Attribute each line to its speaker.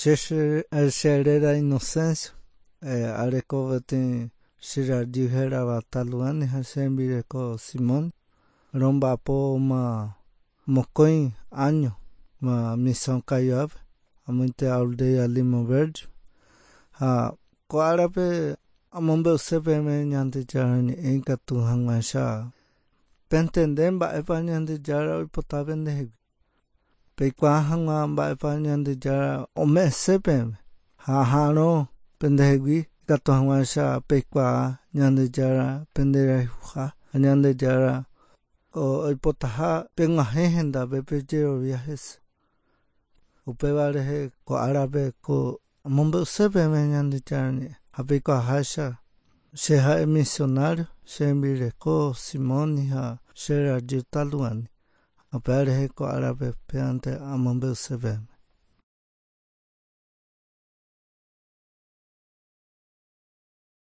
Speaker 1: Che cheréra Inocencio, areko peteĩ che rajy hérava Taluani ha che rembireko Simón. Romba'apóma mokõi áño ma Misión Kaiowápe, amoite aldea Limo Verde. Ha ko árape amombe'use peẽme Ñandejára ñe'ẽ ikatu hag̃uáicha pentende mba'épa Ñandejára oipota pendehegui. Peikuaa hag̃ua mba'épa Ñandejára ome'ẽse peẽme ha aha'arõ pendehegui ikatu hag̃uáicha peikuaa Ñandejára penderayhuha ha Ñandejára oipotaha peg̃uahẽ hendápe pejerovia hese. Upéva rehe ko árape ko amombe'use peẽme Ñandejára ñe'ẽ ha peikuaaháicha che ha'e misionario, che rembireko Simoni ha che rajy Taluani. Upéva rehe ko árape pévante amombe'use peẽme.